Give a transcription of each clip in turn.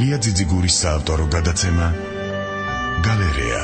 ლია ძიძიგურის საავტორო გადაცემა გალერეა.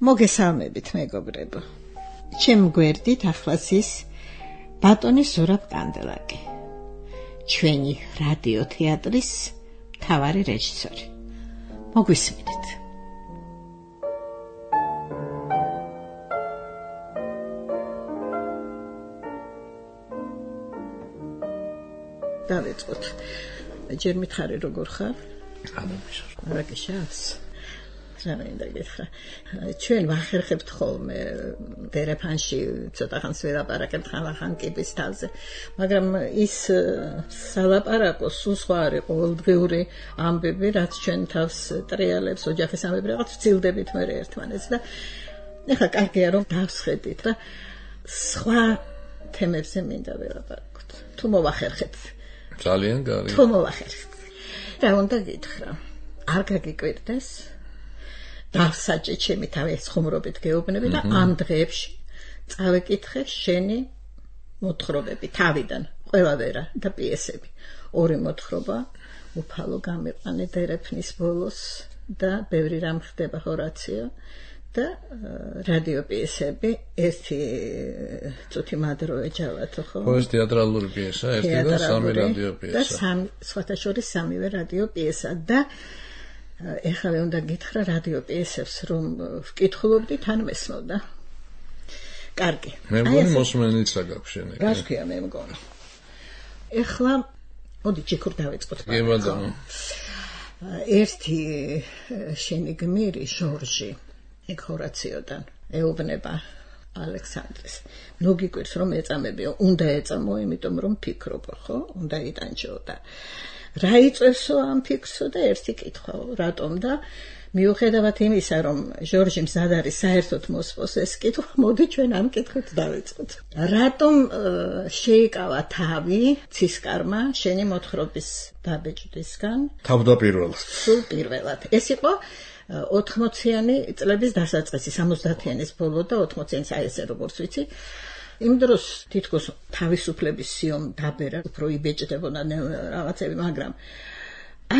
მოგესალმებით მეგობრებო. ჩემ გვერდით ახლაც ის ბატონი ზურაბ კანდელაკი, ჩვენი რადიო თეატრის მთავარი რეჟისორი. მოგვისმინეთ. დავიწყოთ. ჯერ მითხარი როგორ ხარ? არაკიშავს. ჩვენ ვახერხებთ ხოლმე დერეფანში ცოტა ხანს ველაპარაკებთ ხან კიბის თავზე, მაგრამ ის სალაპარაკო სულ სხვა არის ყოველდღიური ამბები, რაც ჩვენ თავს ტრიალებს, ოჯახის ამბები რაღაც ვცილდებით მე ერთმანეთს და ეხლა კარგია რომ დავსხედით და სხვა თემებზე მინდა ველაპარაკოთ. თუ მოვახერხეთ. ძალიან კარგი. თუ მოვახერხეთ. რა უნდა გითხრა? არ გაგიკვირდეს? დავსაჭე ჩემი თავი ხუმრობით გეუბნები და ამ დღეებში წავეკითხე შენი მოთხრობები თავიდან, ყველავერა და პიესები. ორი მოთხრობა უფალო გამიყვანე დერეფნის ბოლოს და ბევრი რამ ხდება ჰორაციო და რადიო პიესები, ერთი წუთი მადრო ეჯავათო ხო? ეს თეატრალური პიესა, ერთი და სამი რადიო პიესა. და სხვათა შორის სამივე რადიო პიესა და ეხლა უნდა გითხრა რადიო პიესებს რომ ვკითხულობდი თან მესმოდა. კარგი. მე მგონი მოსმენიცა გაქვს შენ ეგ. რას ქვია მე მგონი. ეხლა მოდი ჯიქურ დავიწყოთ. კი ბატონო. ერთი შენი გმირი ჟორჟი ეგ ჰორაციოდან ეუბნება ალექსანდრეს. ნუ გიკვირს რომ ეწამებიო, უნდა ეწამო, იმიტომ რომ ფიქრობო, ხო? უნდა იტანჯო და რა იწევსო ამ ფიქრსო და ერთი კითხვაო, რატომ და მიუხედავად იმისა, რომ ჟორჟი მზად არის საერთოდ მოსპოს ეს კითხვა, მოდი ჩვენ ამ კითხვით დავიწყოთ. რატომ შეიკავა თავი ცისკარმა შენი მოთხრობის დაბეჭდისგან? თავდაპირველად. სულ პირველად. ეს იყო 80-იანი წლების დასაწყისი, 70-იანის ბოლო და 80-იანის აი ესე როგორც ვიცი. იმ დროს თითქოს თავისუფლების სიომ დაბერა, უფრო იბეჭდებოდა რაღაცები, მაგრამ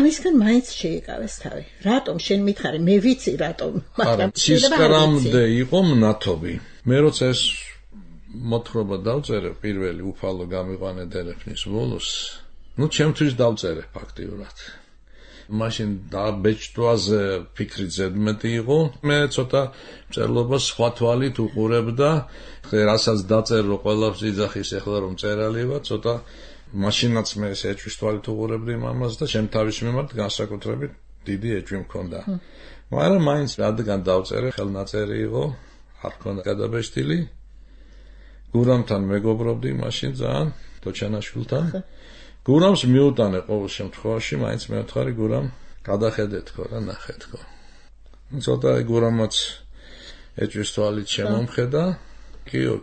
ამისგან მაინც შეიკავეს თავი. რატომ შენ მითხარი? მე ვიცი რატომ, მაგრამ ცისკრამდე იყო მნათობი. მე როცა ეს მოთხრობა დავწერე პირველი უფალო გამიყვანე დერეფნის ბოლოს, ჩემთვის დავწერე ფაქტიურად. მაშინ დაბეჭდვაზე ფიქრი ზედმეტი იყო. მე ცოტა მწერლობას სხვა თვალით უყურებდა. რასაც დაწერო ყველაფერს იძახის ეხლა რომ წერალი ვარ, ცოტა მაშინაც მე ეს ეჭვის თვალით უყურებდი მამას და ჩემ თავის მიმართ განსაკუთრებით დიდი ეჭვი მქონდა. მაგრამ მაინც რადგან დავწერე, ხელნაწერი იყო, არ მქონდა გადაბეჭდილი. გურამთან მეგობრობდი მაშინ ძალიან, თოჩანაშვილთან. გურამს მიუტანე ყოველ შემთხვევაში, მაინც მევთხარი გურამ გადახედე თქო რა ნახე თქო. ცოტა გურამაც ეჭვის თვალით შემომხედა. კიო.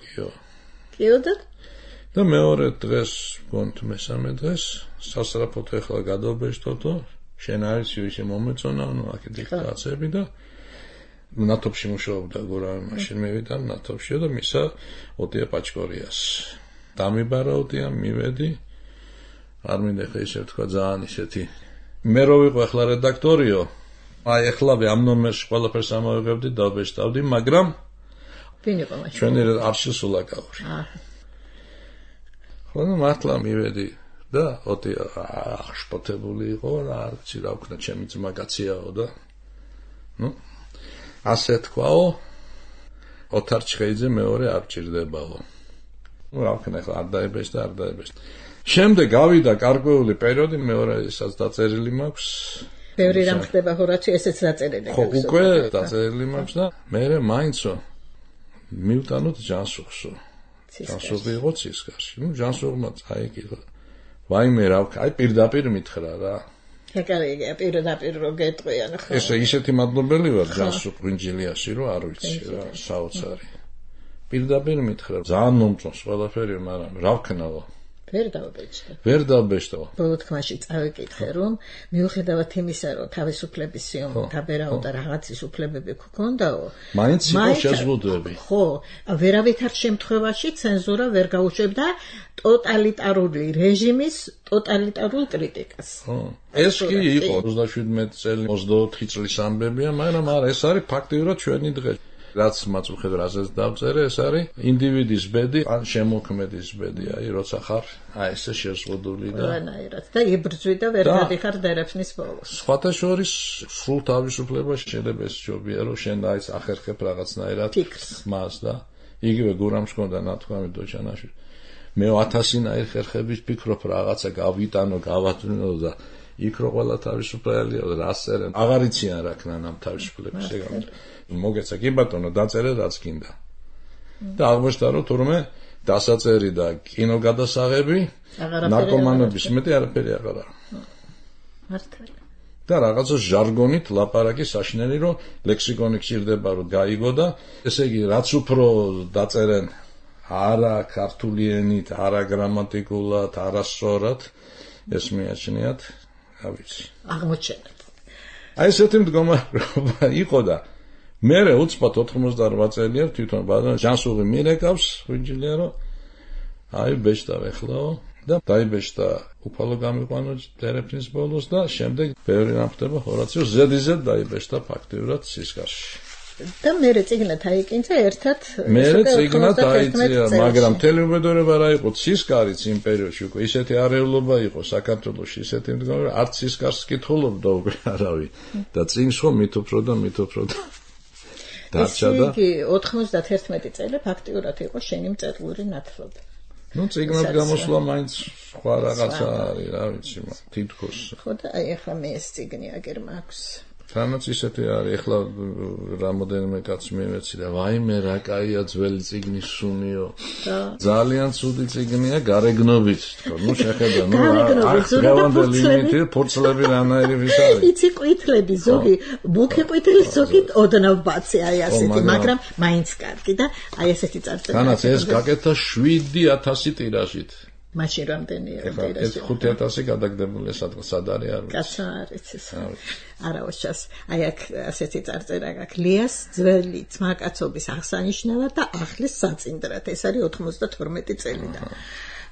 და მეორე დღეს, გონთ მესამე დღეს, სასწრაფოდ ეხლა გადავბეჭდოთო, შენ არის ისე მომეწონა, აქეთ დიქტაცები და ნათოფში მუშაობდა გურამი, მაშინ მივიდა ნათოფშიო და მისა ოტია პაჭკორიას. დამიბარა ოტია, მივედი. არ მინდა ხე ისე თქვა ძალიან ისეთი. მე რო ვიყო ახლა რედაქტორიო, აი ახლავე ამ ნომერში ყველაფერს ამოვიღებდი, დავბეჭდავდი, მაგრამ ვინ იყო მაშინ? ჩვენი არშილ სულაკაური. ხო, მართლა მივედი და ოტი აღშფოთებული იყო რა, არცი რა ვქნა, ჩემი ძმა გაციაო და ასე თქვაო, ოთარ ჩხეიძე მეორე არ ჭირდებაო. რა ვქნა, ახლა არ დაებეჭდა. შემდეგ გავიდა გარკვეული პერიოდი, მეორე ისაც დაწერილი მაქვს. ბევრი რამ ხდება ჰორაციო, ესეც დაწერილი. ხო, უკვე დაწერილი მაქვს და მე მაინცო მივტანოთ ჯანსუხსო. ჯანსუღი იყო ცისკარში. ჯანსუღმა წაიკითხა. ვაიმე რა, პირდაპირ მითხრა რა. ეკარიგია პირდაპირ რო გეტყვიან ხო? ესე ისეთი მადლობელი ვარ ჯანსუღ პრინჯილიაში რომ არ ვიცი რა, საოცარი. პირდაპირ მითხრა, ძალიან მომწონს ყველაფერი, მაგრამ რა ვქნაო? ვერ დავბეჭდა. ბოლო თქმაში წავიკითხე, რომ მიუხედავად იმისა, რომ თავისუფლების სიომი დაბერავდა და რაღაცის უფლებები გქონდაო, მაინც იყო შეზღუდვები. ხო, ვერავითარ შემთხვევაში ცენზურა ვერ გაუშვებდა ტოტალიტარული რეჟიმის ტოტალიტარულ კრიტიკას. ეს კი იყო 37 წელი 24 წლის ამბებია, მაგრამ არა, ეს არის ფაქტიურად ჩვენი დღე. რაც მაწუხედრაზეც დავწერე, ეს არის ინდივიდის ბედი, ან შემოქმედის ბედი, აი როცა ხარ, აი ესე შეზღუდული და ყველანაირად და იბრძვი და ვერ გადიხარ დერეფნის ბოლოს. სხვათა შორის სრულ თავისუფლებას შეიძლება ეს ჯობია, რომ შენ აი ახერხებ რაღაცნაირად მას და იგივე გურამს ჰქონდა ნათქვამი დოჩანაში. მე 1000-ნაირ ხერხების ფიქრობ რაღაცა გავიტანო, გავატვინო და იქ რო ყველა თავისუფალია და რასერენ აღარ იციან რა ქნან ამ თავისუფლების ეგამით. მოგეცა კი ბატონო დაწერე რაც გინდა. და აღმოჩნდა რომ თურმე დასაწერი და კინოგადასაღები ნარკომანების მეტი არაფერი აღარ არის. მართალი. და რაღაცა ჟარგონით ლაპარაკი საშინელი რომ ლექსიკონი გჭირდება რომ გაიგო და ესე იგი რაც უფრო დაწერენ არა ქართული ენით, არა გრამატიკულად, არა სწორად ეს მიაჩნიათ, რა ვიცი. აღმოჩენად. აი ესეთი მდგომარეობა იყო და მე უცბად 88 წელია თვითონ ბატონ ჯანსუღი მირეკავს ვიჯილია რომ აი ბეჭდა ეხლაო და დაიბეჭდა უფალო გამიყვანო დერეფნის ბოლოს და შემდეგ ბევრი ნახდება ჰორაციო ზედიზედ დაიბეჭდა ფაქტიურად სისკარში და მე წიგნად აიკინცა ერთად მე წიგნად აიწია მაგრამ თელეუბედურება რა იყო სისკარიც იმ პერიოდში უკვე ისეთი არეულობა იყო საქართველოში ისეთი მდგომარეობა არც სისკარს კითხულობდა უკვე არავინ და წიგნს ხო მით უფრო და დარჩა და იგი 91 წელი ფაქტიურად იყო შენი მწერლური ნათლობა. ნუ წიგნად გამოსვლა მაინც სხვა რაღაცა არის, რა ვიცი, თითქოს. ხო და აი ახლა მე ეს წიგნი აგერ მაქვს. თანაც ისეთი არის, ახლა რამოდენიმე კაცს მივეცი და ვაიმე რა კაია ძველი წიგნის სუნიო. ძალიან ცუდი წიგნია გარეგნობით, თქო, ნუ შეხედა, ნუ დღევანდელი იმითი ფურცლები რანაირი ვის არის. იცი ყვითლები ზოგი, მუქი ყვითელი ზოგი ოდნავ ბაცი აი ასეთი, მაგრამ მაინც კარგი და აი ესეთი წარწერა. თანაც ეს გაკეთა 7000 ტირაჟით. მაშინ რამდენია ტირაჟი? 5000 გადაგდებული სად არის არ ვიცი. კაცო არის ეს. არაოშას აი აქ ასეთი წარწერა გაქვს ლიას ძველი ძმაკაცობის აღსანიშნავად და ახლის საწინდრად ეს არის 92 წელიდან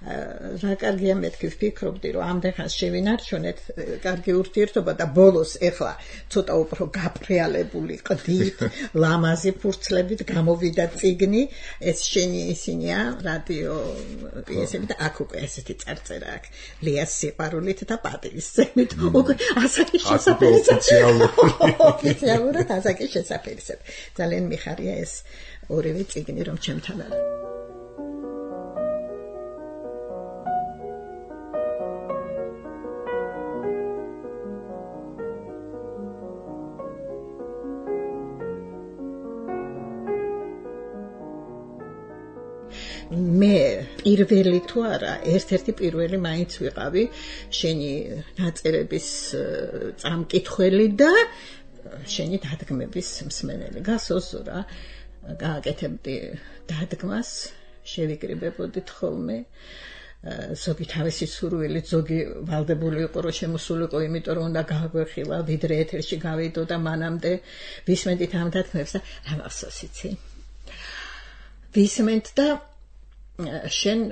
რა კარგია მეთქი ვფიქრობდი რომ ამდენხანს შევინარჩუნეთ კარგი ურთიერთობა და ბოლოს ეხლა ცოტა უფრო გაფრიალებული ყდით ლამაზი ფურცლებით გამოვიდა წიგნი ეს შენი ისინია რადიო პიესები და აქ უკვე ესეთი წარწერა აქვს ლიას სიყვარულით და პატივისცემით უკვე ასაკის შესაძლებელი ოფიციალურად ასაკის შესაძლებელი ძალიან მიხარია ეს ორივე წიგნი რომ ჩემთან არის მე პირველი თუ არა ერთ-ერთი პირველი მაინც ვიყავი შენი ნაწერების წამკითხველი და შენი დადგმების მსმენელი გასოსურა გააკეთებდი დადგმას შევიკრიბებოდით ხოლმე ზოგი თავისი სურვილი ზოგი ვალდებული იყო რომ შემოსულიყო იმიტომ რომ უნდა გააგვეხილა ვიდრე ეთერში გავიდო და მანამდე ვისმენდით ამ დადგმებს და რა მახსოვს იცი ვისმენთ და შენ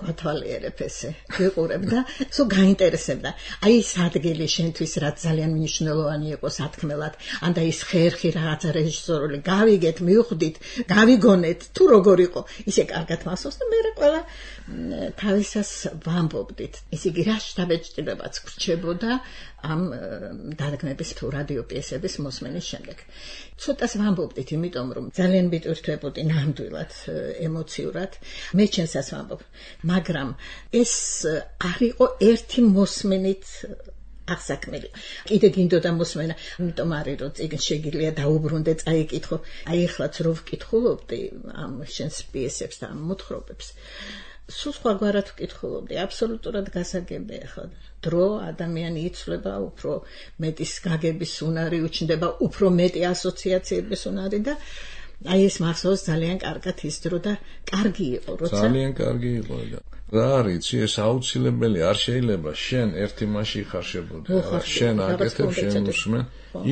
გათვალიერებ ესე ვიყურებ და სულ გაინტერესებდა აი ეს ადგილი შენთვის რაც ძალიან მნიშვნელოვანი იყო სათქმელად ან და ის ხერხი რაღაცა რეჟისორული გავიგეთ მივხვდით გავიგონეთ თუ როგორ იყო ისე კარგად მახსოვს და მე ყველა თავისას ვამბობდით ესე იგი რა შთაბეჭდილებაც გრჩებოდა ამ დადგმების თუ რადიო პიესების მოსმენის შემდეგ ცოტას ვამბობდით იმიტომ რომ ძალიან ვიტვირთვებოდი ნამდვილად ემოციურად მე ჩემსაც ვამბობ მაგრამ ეს არ იყო ერთი მოსმენით აღსაქმელი. კიდე გინდოდა მოსმენა, იმიტომ არის რომ წიგნს შეგიძლია დაუბრუნდე, წაიკითხო. აი ეხლაც რო ვკითხულობდი ამ შენს პიესებს და ამ მოთხრობებს. სულ სხვაგვარად ვკითხულობდი, აბსოლუტურად გასაგებია ხო. დრო ადამიანი იცვლება, უფრო მეტის გაგების უნარი უჩნდება, უფრო მეტი ასოციაციების უნარი და აი ეს მახსოვს ძალიან კარგად ის დრო და კარგი იყო, როცა ძალიან კარგი იყო და რა არის, ეს აუცილებელი არ შეიძლება შენ ერთი მასში ხარშებოდი, შენ აკეთებ, შენ უსმენ.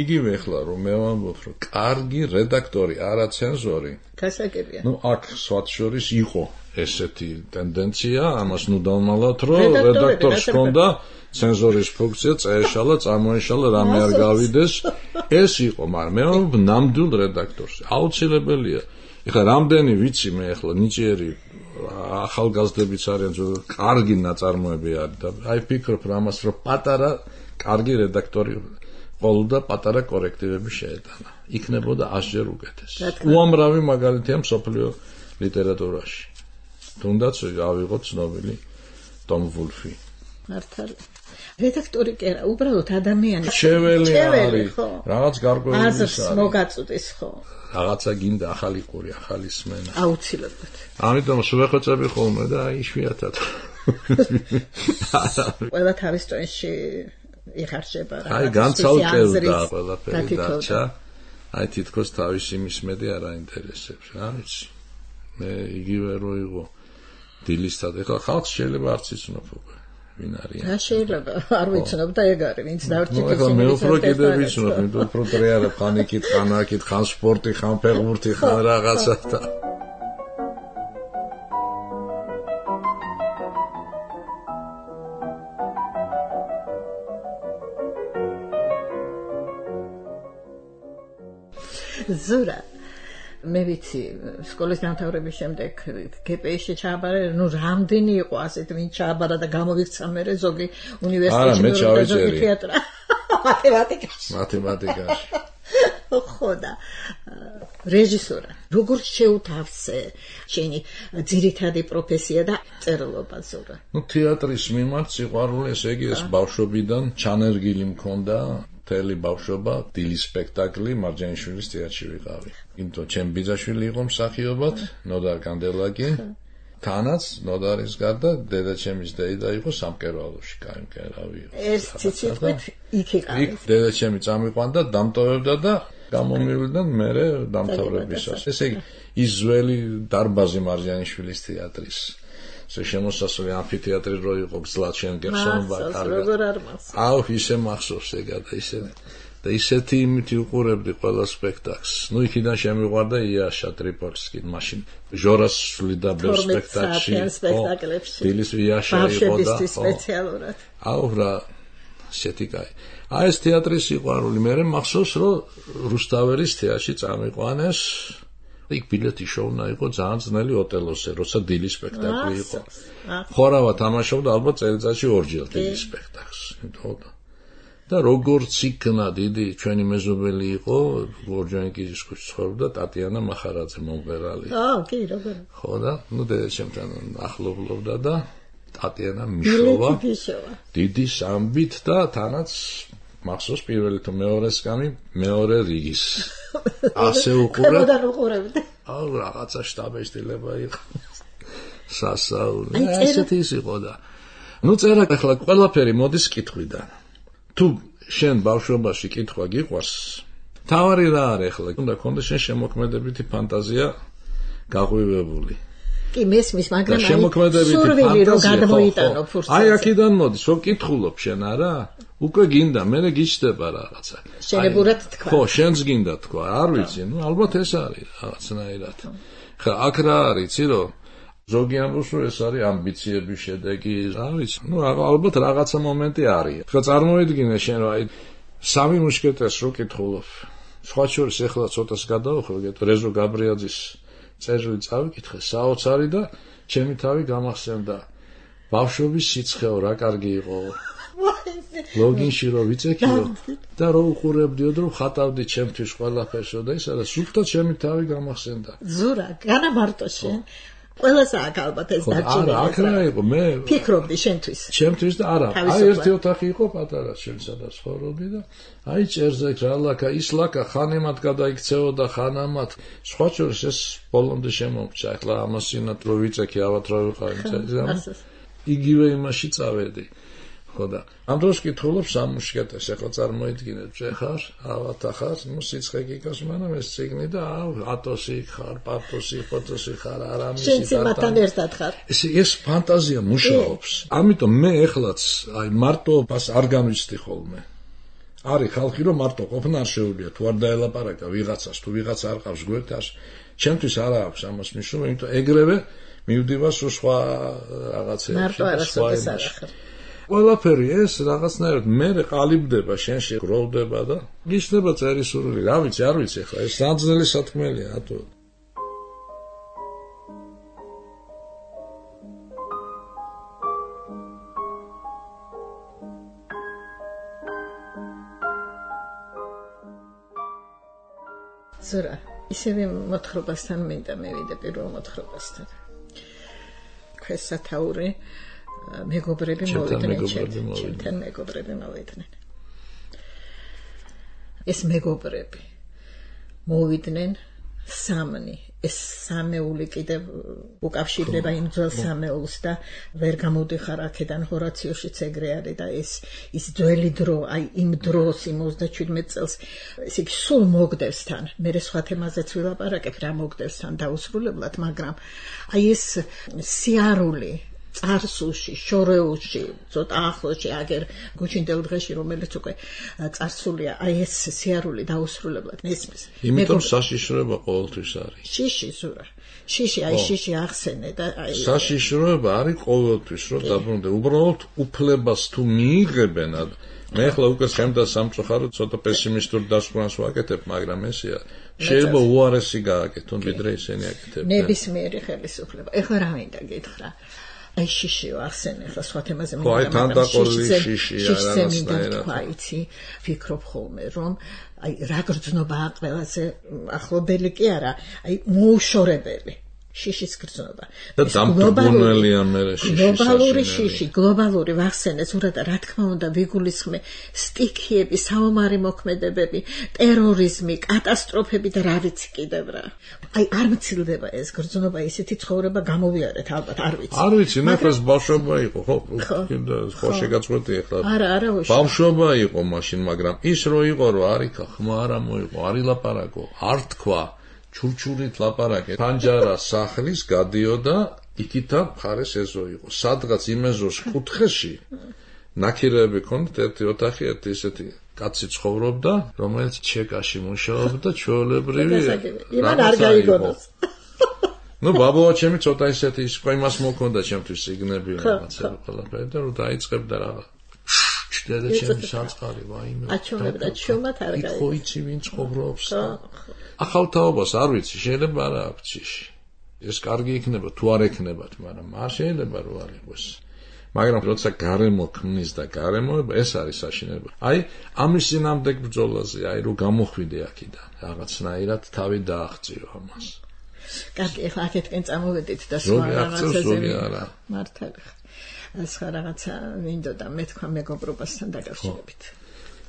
იგივე ახლა რომ მე ვამბობ, რომ კარგი რედაქტორი, არა ცენზორი. გასაგებია. აქ სხვათ შორის იყო ესეთი ტენდენცია, ამას ნუ დავმალავთ, რომ რედაქტორს ჰქონდა ცენზორის ფუნქცია, წაეშალა, წამოეშალა, რამე არ გავიდეს. ეს იყო, მაგრამ მე ვამბობ ნამდვილ რედაქტორს. აუცილებელია. ეხლა რამდენი ვიცი მე ახლა ნიჭიერი ახალგაზრდებიც არიან, კარგი ნაწარმოები არის და აი ფიქრობ რამას, რომ პატარა კარგი რედაქტორი ყოლდა პატარა კორექტივები შეეტანა. იქნებოდა 100-ჯერ უკეთესი. უამრავი მაგალითია მსოფლიო ლიტერატურაში. თუნდაც ავიღოთ ცნობილი ტომ ვულფი. მართალი. რედაქტორი კი არა, უბრალოდ ადამიანი. შეველი არის, რაღაც გარკვეული აზრს მოგაწუდის ხო? რაღაცა გინდა ახალი ყური, ახალი სმენა. აუცილებლად. ამიტომ შევეხოცები ხოლმე და აი იშვიათად. ყველა თავის ტონში იხარჯება რა. აი განცალკევდა ყველაფერი დარჩა. აი თითქოს თავისი მისმედი არ აინტერესებს, რა ვიცი. მე იგივე რო იყო დილისთან, ეხლა ხალხს შეიძლება არც იცნობ უკვე ვინ არის. რა შეიძლება არ ვიცნობ და ეგ არის, ვინც დავრჩით ისინი. ეხლა მე უფრო კიდე ვიცნობ, იმიტომ უფრო ტრიალებ, ხან იქით, ხან აქით, ხან სპორტი, ხან ფეხბურთი, ხან რაღაცა და ზურა მე ვიცი სკოლის დამთავრების შემდეგ გპ-ში ჩააბარა, ნუ რამდენი იყო ასეთ ვინ ჩააბარა და გამოვიქცა მე ზოგი უნივერსიტეტში ზოგი თეატრა მათემატიკაში ხო და რეჟისორა როგორ შეუთავსე შენი ძირითადი პროფესია და წერილობა ზურა? ნუ თეატრის მიმართ სიყვარული, ესე იგი ეს ბავშვობიდან ჩანერგილი მქონდა. მთელი ბავშვობა დილის სპექტაკლი მარჯანიშვილის თეატრში ვიყავი. იმიტომ ჩემი ბიძაშვილი იყო მსახიობად, ნოდარ კანდელაკი. თანაც ნოდარის გარდა დედაჩემის დეიდა იყო სამკერვალოში, კაი მკერავი იყო. ეს ციციტყვით იქ იყავი. იქ დედაჩემი წამიყვანდა, დამტოვებდა და გამომივლიდან მერე დამთავრებისას. ესე იგი ის ძველი დარბაზი მარჯანიშვილის თეატრის შემოსასვლელი ამფითეატრი რო იყო გზლად შენ გეხსოვნება კარგად. აუ ისე მახსოვს ეგა და ისე და ისეთი იმით უყურებდი ყველა სპექტაკლს. ნუ იქიდან შემიყვარდა იაშა ტრიპოლსკი, მაშინ ჟორას სვლიდა ბევრ სპექტაკლში. დილის იაშა იყო და სპეციალურად. აუ რა ისეთი კაი. აი ეს თეატრის სიყვარული, მე მახსოვს რომ რუსთაველის თეატრში წამიყვანეს. იქ ბილეთი შოუნა იყო ძალიან ძნელი ოტელოსზე, როცა დილის სპექტაკლი იყო. ხორავა თამაშობდა ალბათ წელიწადში ორჯერ დილის სპექტაკლს. და როგორც იქნა დიდი ჩვენი მეზობელი იყო, ორჯონიკიძის ქუჩის ცხოვრობდა ტატიანა მახარაძე მომღერალი. კი, როგორ. ხო და ნუ დედაჩემთან ახლობლობდა და ტატიანა მიშოვა. დიდი სამბით და თანაც მახსოვს პირველი თუ მეორესგანი მეორე რიგის. ასე უყურებდი. აუ რაღაცა შტაბეშტილება იყო. სასაული. ესეთი ის იყო და ნუ წერა ახლა ყველაფერი მოდის კითხვიდან. თუ შენ ბავშვობაში კითხვა გიყვარს, თავარი რა არის ახლა? უნდა გქონდეს შენ შემოქმედებითი ფანტაზია გაღვივებული. კი მესმის, მაგრამ სურვილი რომ გადმოიტანო ფურცელზე. აი აქედან მოდის, რომ კითხულობ შენ არა? უკვე გინდა, მე გიჩდება რაღაცა. შენებურად თქვა. ხო, შენს გინდა თქვა, არ ვიცი, ნუ ალბათ ეს არის რაღაცნაირად. ხა აქ რა არის, იცი რომ ზოგი ამბობს რომ ეს არის ამბიციების შედეგი, რა ვიცი. ნუ ალბათ რაღაცა მომენტი არის. ხა წარმოიდგინე შენ რომ აი სამი მუშკეტერს რო კითხულობ. სხვა შორის ეხლა ცოტას გადავხვევ, რეზო გაბრიაძის წერილი წავიკითხე, საოცარი და ჩემი თავი გამახსენდა. ბავშვობის სიცხეო რა კარგი იყო. ლოგინში რო ვიცექიო და რო უყურებდიო და რო ხატავდი ჩემთვის ყველაფერსო და ისა და სულთან ჩემი თავი გამახსენდა. ზურა, განა მარტო შენ ყველას აქ ალბათ ეს დარჩენილი. არა, აქ რა იყო, მე ფიქრობდი შენთვის. ჩემთვის და არა, აი ერთი ოთახი იყო პატარა შენ სადაც ხოვრობდი და აი ჭერზე რა ლაკა, ის ლაკა ხანემად გადაიქცეოდა ხანამად. სხვა შორის ეს ბოლომდე შემომჭა. ახლა ამასინათ რო ვიწექი ავად რა ვიყავი, იგივე იმაში წავედი. ხო და ამ დროს კითხულობს სამუშკეტეს, ახლა წარმოიდგინეთ, ხარ, ავად ახარ, ნუ სიცხე გიგავს, მაგრამ ეს ციგნი და ატოსი ხარ, პატოსი, ფოტოსი ხარ, არამისი შენ სიმათთან ერთად ხარ. ეს ფანტაზია მუშაობს. ამიტომ მე ეხლაც აი მარტობას არ განვიცდი ხოლმე. არის ხალხი რომ მარტო ყოფნა არ შეუძლია, თუ არ დაელაპარაკა ვიღაცას, თუ ვიღაცა არ ყავს გვერდას, ჩემთვის არ აქვს ამას მნიშვნელობა, იმიტომ ეგრევე მივდივარ სხვა რაღაცეებში. მარტო არასოდეს არ ახარ. ყველაფერი ეს რაღაცნაირად მე ყალიბდება, შენში გროვდება და გიშლება წერისურვილი, რა ვიცი, არ ვიცი ახლა, ეს საძნელი სათქმელია, ატო. ზურა, ისევე მოთხრობასთან მინდა მევიდე პირველ მოთხრობასთან. ქვეს სათაური მეგობრები მოვიდნენ ჩემთან მეგობრები მოვიდნენ. ეს მეგობრები მოვიდნენ სამნი. ეს სამეული კიდევ უკავშირდება იმ ძველ სამეულს და ვერ გამოდიხარ აქედან ჰორაციოშიც ეგრე არის და ის ძველი დრო, აი იმ დროს იმ 37 წელს ესე იგი სულ მოგდევს თან. მე სხვა თემაზეც ვილაპარაკებ რა მოგდევს თან დაუსრულებლად, მაგრამ აი ეს სიარული წარსულში, შორეულში, ცოტა ახლოში, აგერ გუჩინდელ დღეში, რომელიც უკვე წარსულია, აი ეს სიარული დაუსრულებლად ნესმის. იმიტომ საშიშროება ყოველთვის არის. შიში ზურა. შიში, აი შიში ახსენე და აი საშიშროება არის ყოველთვის, რომ დაბრუნდე. უბრალოდ უფლებას თუ მიიღებენ, მე ახლა უკვე შემდა სამწუხაროდ ცოტა პესიმისტურ დასკვნას ვაკეთებ, მაგრამ ესეა. შეიძლება უარესი გააკეთონ, ვიდრე ისინი აკეთებდნენ. ნებისმიერი ხელისუფლება. ეხლა რა მინდა გითხრა? აი შიში ახსენე, ახლა სხვა თემაზე მინდა. ხო, აი თანდაყოლი შიშია რაღაცნაირად. თქვა, იცი, ფიქრობ ხოლმე, რომ აი რა გრძნობა ყველაზე ახლობელი კი არა, აი მოუშორებელი. შიშის გრძნობა. და დამტბუნელია მე შიში. გლობალური შიში, გლობალური ვახსენე, ზურა და რა თქმა უნდა ვიგულისხმე სტიქიები, საომარი მოქმედებები, ტერორიზმი, კატასტროფები და რა ვიცი კიდევ რა. აი არ მცილდება ეს გრძნობა, ისეთი ცხოვრება გამოვიარეთ, ალბათ არ ვიცი. არ ვიცი, ნახეს ბავშვობა იყო, ხო? ხო შეგაწყვეტი ახლა. არა, ბავშვობა იყო მაშინ, მაგრამ ის რო იყო, რომ არიქა ხმა არ მოიყო, არ ილაპარაკო, არ თქვა. ჩურჩურით ლაპარაკე. ფანჯარა სახლის გადიოდა, იქითა მხარეს ეზო იყო. სადღაც იმ ეზოს კუთხეში ნაქირეები ქონდათ, ერთი ოთახი, ერთი ისეთი კაცი ცხოვრობდა, რომელიც ჩეკაში მუშაობდა, ჩვეულებრივი. იმან არ გაიგონოს. ნუ ბაბუა ჩემი ცოტა ისეთი იმას მოქონდა ჩემთვის სიგნები რაღაცა ყველაფერი და რომ დაიწყებდა რაღაც. ჩდედა ჩემი საწყარი, ვაიმე. აჩვენებდა ჩუმად არ გაიგო. ხო იცი ვინ ცხოვრობს. ახალთაობას არ ვიცი, შეიძლება არა აქვს შიში. ეს კარგი იქნება, თუ არ ექნებათ, მაგრამ არ შეიძლება რომ არ იყოს. მაგრამ როცა გარემო ქმნის და გარემოება, ეს არის საშინელება. აი, ამის წინამდეგ ბრძოლაზე, აი რომ გამოხვიდე აქედან, რაღაცნაირად თავი დააღწიო ამას. კარგი, ახლა აქეთკენ წამოვედით და სხვა რაღაცაზე მართალი. სხვა რაღაცა მინდოდა მე თქვა მეგობრობასთან დაკავშირებით.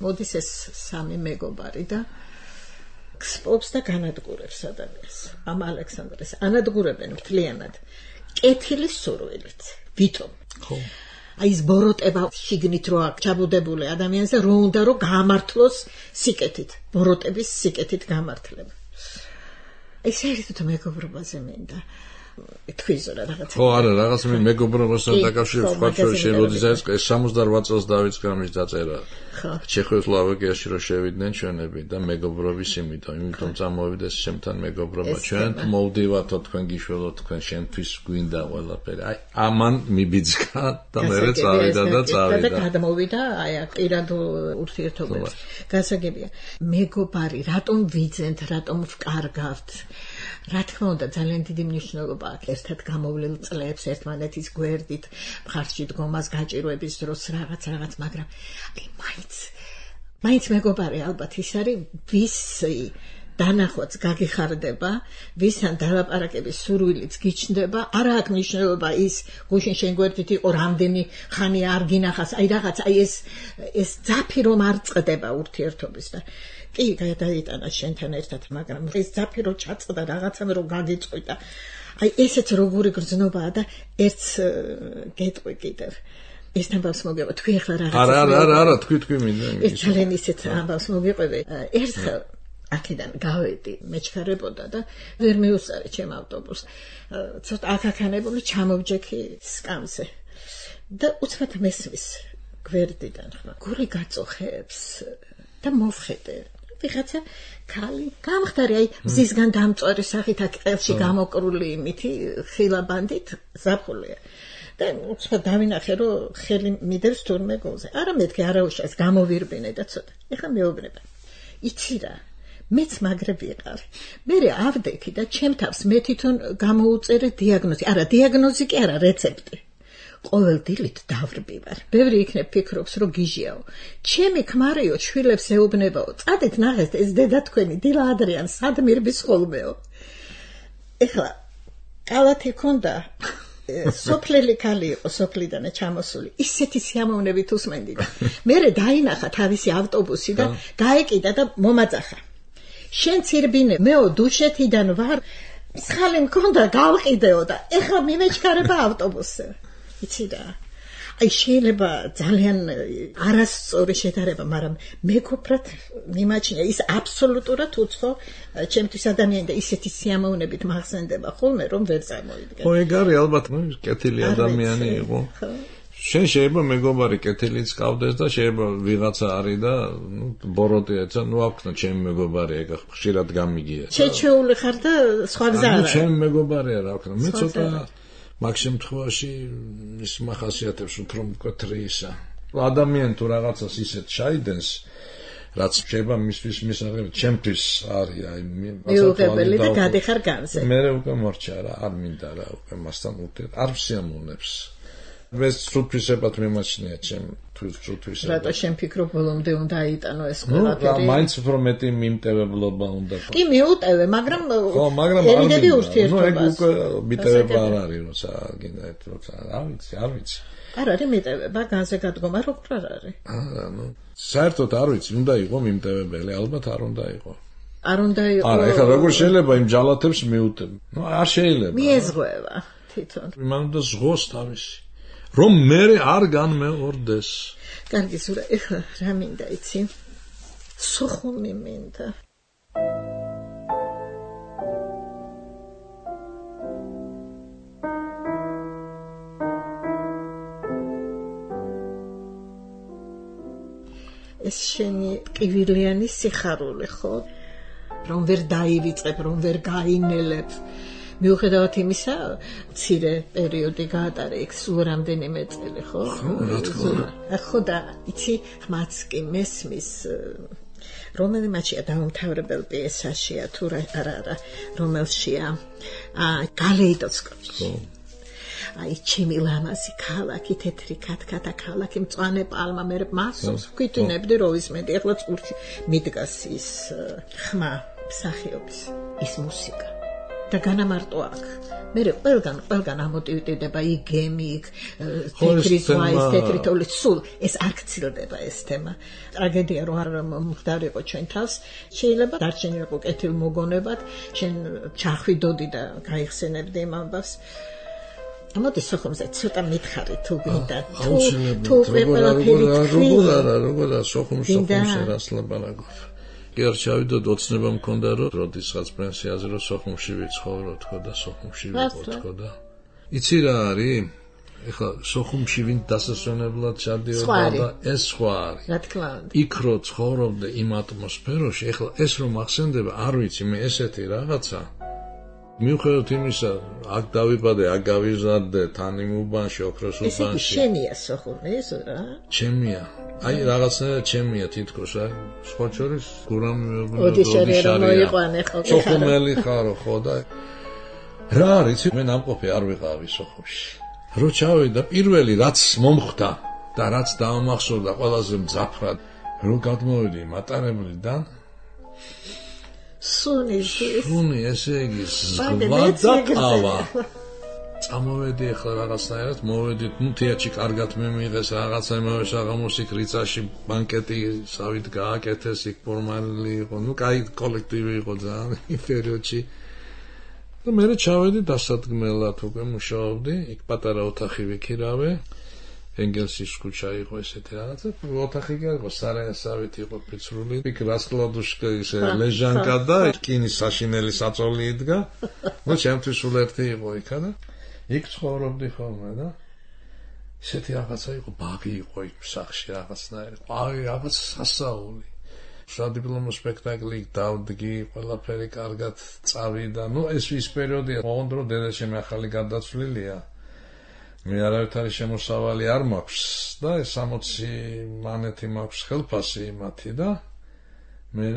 მოდის ეს სამი მეგობარი და გსპობს და განადგურებს ადამიანს. ამ ალექსანდრეს ანადგურებენ მთლიანად კეთილის სურვილით. ვითომ? ხო. აი ეს ბოროტება შიგნით რო აქ ჩაბუდებული ადამიანს და რო უნდა რომ გამართლოს სიკეთით, ბოროტების სიკეთით გამართლება. აი საერთოდ მეგობრობაზე მინდა თქვიზო რა რაღაცა. ხო, არა, რაღაც მეგობრობასთან დაკავშირებით სხვა შორის როდესაც 68 წელს დავიწყე ამის დაწერა. ჩეხოსლოვაკიაში რო შევიდნენ ჩვენები და მეგობრობის იმიტომ წამოვიდეს ჩემთან მეგობრობა. ჩვენ მოვდივათო თქვენ გიშველოთ, თქვენ შენთვის გვინდა ყველაფერი. აი, ამან მიბიძგა და მე წავიდა და წავიდა. და გადმოვიდა აი აქ პირად ურთიერთობებს. გასაგებია. მეგობარი, რატომ ვიძენთ, რატომ ვკარგავთ? რა თქმა უნდა ძალიან დიდი მნიშვნელობა აქვს ერთად გამოვლილ წლებს ერთმანეთის გვერდით მხარში დგომას გაჭირვების დროს რაღაც, მაგრამ აი მაინც მეგობარი ალბათ ის არის ვისი დანახვაც გაგიხარდება, ვისთან დალაპარაკების სურვილიც გიჩნდება, არა აქვს მნიშვნელობა ის გუშინ შენ გვერდით იყო რამდენი ხანი არ გინახავს, აი რაღაც აი ეს ძაფი რომ არ წყდება ურთიერთობის და კი გადაიტანა შენთან ერთად, მაგრამ ეს ძაფი რომ ჩაწყდა რაღაცამ რომ გაგიწყვიტა. აი ესეც როგორი გრძნობაა და ერთს გეტყვი კიდევ. ეს ამბავს მოგეყვა თქვი ახლა რაღაცა. არა, თქვი მინდა. ეს ძალიან ისეთ ამბავს მოგეყვები. ერთხელ აქედან გავედი, მეჩქარებოდა და ვერ მიუსწარი ჩემ ავტობუსს. ცოტა აკაკანებული ჩამოვჯექი სკამზე. და უცბად მესმის გვერდიდან ხმა. გული გაწოხებს და მოვხედე. ვიღაცა ქალი გამხდარი აი მზისგან დამწვარი სახით აქ ყელში გამოკრული იმითი ხილაბანდით ზაფხულია. და უცბად დავინახე რომ ხელი მიდევს თურმე გულზე. არა მეთქი არა უშავს გამოვირბინე და ცოტა. ეხლა მეუბნება. იცი რა მეც მაგრე ვიყავ. მე ავდექი და ჩემ თავს მე თვითონ გამოუწერე დიაგნოზი. არა დიაგნოზი კი არა რეცეპტი. ყოველ დილით დავრბივარ. ბევრი იქნებ ფიქრობს რომ გიჟიაო. ჩემი ქმარიო შვილებს ეუბნებაო. წადეთ ნახეთ ეს დედა თქვენი დილა ადრიან სად მირბის ხოლმეო. ეხლა კალათი ქონდა სოფლელი ქალი იყო სოფლიდან ჩამოსული. ისეთი სიამოვნებით უსმენდიდა. მე დაინახა თავისი ავტობუსი და გაეკიდა და მომაწახა. შენ ცირბინე მეო დუშეთიდან ვარ მსხალი მქონდა გავყიდეო და ეხლა მიმეჩქარება ავტობუსზე. იცი რა აი შეიძლება ძალიან არასწორი შედარება, მაგრამ მეგობრად მიმაჩნია ის აბსოლუტურად უცხო ჩემთვის ადამიანი და ისეთი სიამოვნებით მახსენდება ხოლმე რომ ვერ წარმოვიდგენ. ხო ეგ არის ალბათ კეთილი ადამიანი იყო. შენ შეიძლება მეგობარი კეთილიც ყავდეს და შეიძლება ვიღაცა არის და ბოროტიაც აქვნა ჩემი მეგობარი ეგ ხშირად გამიგია. შეჩეული ხარ და სხვა გზა არა. ჩემი მეგობარია რა ვქნა. მე ცოტა მაგ შემთხვევაში ის მახასიათებს უფრო მკვეთრი ისა. ადამიანი თუ რაღაცას ისეთ ჩაიდენს, რაც შეიძლება მისთვის მისაღები, ჩემთვის არის აი მიუღებელი და გადიხარ განზე. მე უკვე მორჩა რა, არ მინდა რა უკვე მასთან ურთიერთ, არ ვსიამოვნებს. მე სრულთვისებად მიმაჩნია ჩემ თვითსრულთვისებად. რატო შენ ფიქრობ ბოლომდე უნდა აიტანო ეს ყველაფერი? მაინც უფრო მეტი მიმტევებლობა უნდა. კი მიუტევე, მაგრამ ერიდები ურთიერთობას. ეგ უკვე მიტევება არ არის, როცა გინდა ერთ როცა არ ვიცი. არ არის მიტევება, განზე გადგომა როგორ არ არის? არა, საერთოდ არ ვიცი, უნდა იყოს მიმტევებელი, ალბათ არ უნდა იყოს. არ უნდა იყოს. არა, ეხლა როგორ შეიძლება იმ ჯალათებს მიუტებ? არ შეიძლება. მიეზღვევა თვითონ. მან უნდა ზღოს თავისი. რომ მე არ განმეორდეს. კარგი ზურა, ეხლა რა მინდა იცი? სოხუმი მინდა. ეს შენი ტკივილიანი სიხარული ხო? რომ ვერ დაივიწყებ, რომ ვერ გაინელებ. მიუხედავად იმისა, მცირე პერიოდი გაატარე იქ სულ რამდენიმე წელი, ხო? ხო და იცი, ხმაც კი მესმის რომელიმაჩია დაუმთავრებელ პიესაშია თუ არა, რომელშია გალეიდოსკოპი. აი ჩემი ლამაზი ქალაქი, თეთრი ქათქათა ქალაქი, მწვანე პალმა, მე მასოს ვკვითინებდი რო ისმენდი, ეხლა წურში მიდგას ის ხმა მსახიობის, ის მუსიკა. და განამარტო აქ. მე ყველგან ამოტივირდება იგემი, თეთრი ზღვა, თეთრი თოვლი, სულ ეს არ გცილდება ეს თემა. ტრაგედია რო არ მომხდარიყო ჩვენ თავს, შეიძლება დარჩენილიყო კეთილ მოგონებად, შენ ჩახვიდოდი და გაიხსენებდი იმ ამბავს. ამოდი სოხუმზე цота მითხარი თუ გინდა თუ ყველაფერი როგორ სოხუმში რას ლაპარაკობ კი არ ჩავიდოდ ოცნება მქონდა რომ როდესაც პრინციაზე რომ სოხუმში ვიცხოვრო თქო და სოხუმში ვიყო თქო და იცი რა არის ეხლა სოხუმში ვინ დასასვენებლად ჩადიოდა და ეს სხვა არის რა თქმა უნდა იქ რო ცხოვრობდე იმ ატმოსფეროში ეხლა ეს რომ ახსენდება არ ვიცი მე ესეთი რაღაცა მიუხედავად იმისა, აქ დავიბადე, აქ გავიზარდე, თან იმ უბანში, ოქროს უბანში. ეს შენია სოხუმი, ეს რა? ჩემია. აი რაღაცნაირად ჩემია თითქოს, აი, სხვა შორის გურამ ოდიშარია მოიყვანე ხო? სოხუმელი ხარო, ხო და რა არის, მე ნამყოფი არ ვიყავი სოხუმში. რო ჩავიდა პირველი რაც მომხდა და რაც დაამახსოვრდა ყველაზე მძაფრად, რო გადმოვიდი მატარებლიდან სუნი ესე იგი ზღვა და ყავა წამოვედი ახლა რაღაცნაირად მოვედით თეატრში კარგად მიმიღეს რაღაცა იმავე საღამოსიქ რიცაში ბანკეტი სავით გააკეთეს იქ ფორმალი იყო კაი კოლექტივი იყო ძალიან იმ პერიოდში და მე ჩავედი დასადგმელად უკვე მუშაობდი იქ პატარა ოთახი ვიქირავე ენგელსის ქუჩა იყო ესეთი რაღაცა ოთახი იყო სარაესავით იყო ფიცრული იქ რასკლადუშკის ლეჟანკა და რკინის საშინელი საწოლი იდგა ნუ ჩემთვის სულ ერთი იყო იქა და იქ ცხოვრობდი ხოლმე და ესეთი რაღაცა იყო ბაგი იყო იქ სახში რაღაცნაირად აი რაღაც სასაული სადიპლომო სპექტაკლი დავდგი ყველაფერი კარგად წავიდა ნუ ეს ის პერიოდია ოღონდ რომ დედაჩემი ახალი გადაცვლილია მე არავითარი შემოსავალი არ მაქვს და 60 მანეთი მაქვს ხელფასი მათი და მე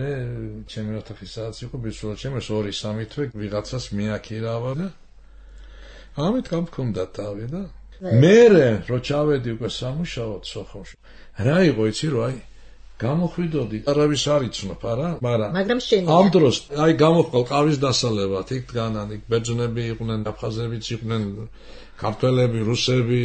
ჩემი ოთახისაც იყო ბიჭო ჩემს 2-3 თვე ვიღაცას მიაქირავა და ამით გამქონდა თავი და მე რო ჩავედი უკვე სამუშაოდ სოხუმში რა იყო იცი რომ აი გამოხვიდოდი არავის არ იცნობ არა მაგრამ შენია ამ დროს აი გამოხვალ ყავის დასალებად იქ დგანან იქ ბერძნები იყვნენ აფხაზებიც იყვნენ ქართველები რუსები